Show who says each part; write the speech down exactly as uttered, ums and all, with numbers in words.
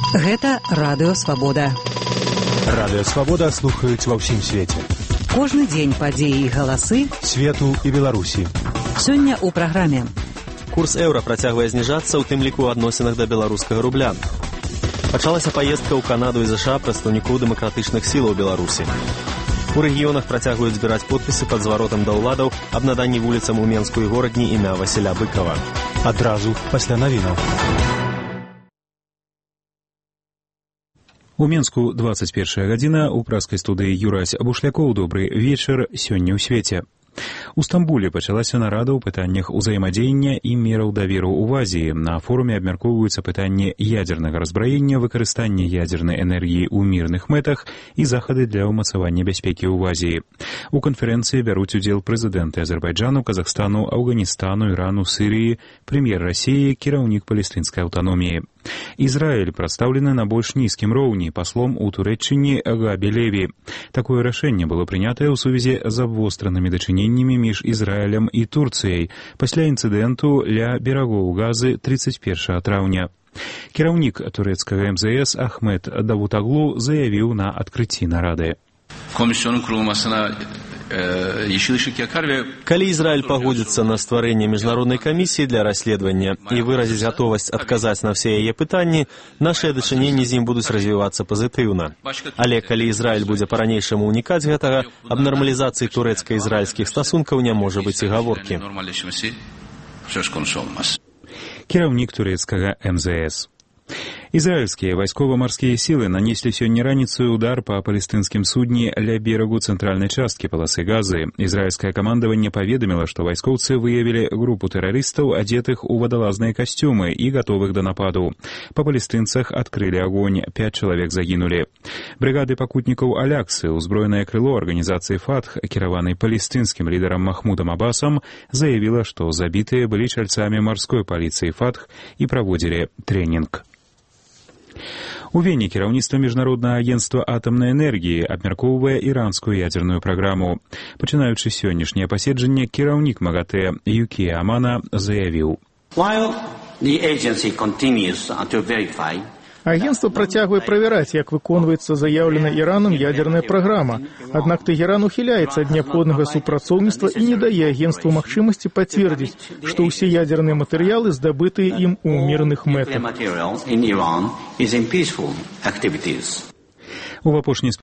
Speaker 1: Гэта Радыё Свабода.
Speaker 2: Радыё Свабода слухаюць ва ўсім свеце.
Speaker 1: Кожны дзень падзеі і галасы
Speaker 2: свету і Беларусі.
Speaker 1: Сёння ў праграме.
Speaker 3: Курс еўра працягвае зніжацца, у тым ліку ў адносінах да беларускага рубля. Пачалася паездка ў Канаду і ЗША прадстаўнікоў дэмакратычных сілаў Беларусі. У рэгіёнах працягваюць збіраць подпісы пад зваротам да ўладаў аб наданні вуліцам у Менску і горадні імя Васіля Быкава.
Speaker 2: Адразу пасля навінаў.
Speaker 4: У Менску двадцать першая гадзіна, у праскай студыі Юрась Бушлякоў. Добры вечар сёння ў свеце. У Стамбуле пачалася нарада ў пытаннях узаемадзеяння і мераў даверу ў Азіі. На форуме абмяркоўваюцца пытанні ядзернага разбраення, выкарыстання ядзернай энергіі ў мірных мэтах і захады для ўмацавання бяспекі ў Азіі. У канферэнцыі бяруць удзел прэзідэнты Азербайджану, Казахстану, Афганістану, Ірану, Сірыі, прэм'ер Расіі, кіраўнік палестынскай аўтаноміі. Ізраіль прадстаўлены на больш нізкім роўні паслом у Турэччыне Габі Леві. Такое рашэнне было прынятае ў сувязі з абвостранымі дачыненнямі між Ізраілем і Турцыяй пасля інцыдэнту ля берагоў Газы тридцать первого траўня. Кіраўнік турэцкага эм зэ эс Ахмед Давутаглу заявіў на адкрыцці нарады.
Speaker 3: Калі Ізраіль пагодзіцца на стварэнне міжнароднай камісіі для расследавання і выразіць гатовасць адказаць на ўсе яе пытанні, нашыя дачыненні з ім будуць развівацца пазітыўна. Але калі Ізраіль будзе па-ранейшаму ўнікаць гэтага, аб нармалізацыі турэцка-ізраільскіх стасункаў не можа быць і гаворкі.
Speaker 4: Кіраўнік турэцкага эм зэ эс. Израильские вайскова-марскія сілы нанеслі сёння раніцаю удар па палестынскім судне ля берагу цэнтральнай часткі паласы Газы. Ізраільскае камандаванне паведаміла, што вайскоўцы выявілі групу тэрарыстаў, адзетых у вадалазныя касцюмы і гатовых да нападу. Па палестынцах адкрылі агонь, пяць чалавек загінулі. Брыгады пакутнікаў Аляксы, узброенае крыло арганізацыі Фатх, кіраванай палестынскім лідарам Махмудам Абасам, заявіла, што забітыя былі чальцамі марской паліцыі Фатх і праводзілі трэнінг. У Вене кіраўніцтва міжнароднага агенцтва атамнай энергіі абмяркоўвае іранскую ядзерную праграму. Пачынаючы сённяшняе паседжанне, кіраўнік МАГАТЭ Юкія Амана заявіў.
Speaker 5: Агентство працягвае правяраць, як выконваецца заяўленая Іранам ядерная праграма. Аднак Тэгеран ухіляецца ад неабходнага супрацоўніцтва і не дае агентству магчымасці пацвердзіць, што ўсе ядерныя матэрыялы здабытыя ім у мірных мэтах.
Speaker 4: У апошняй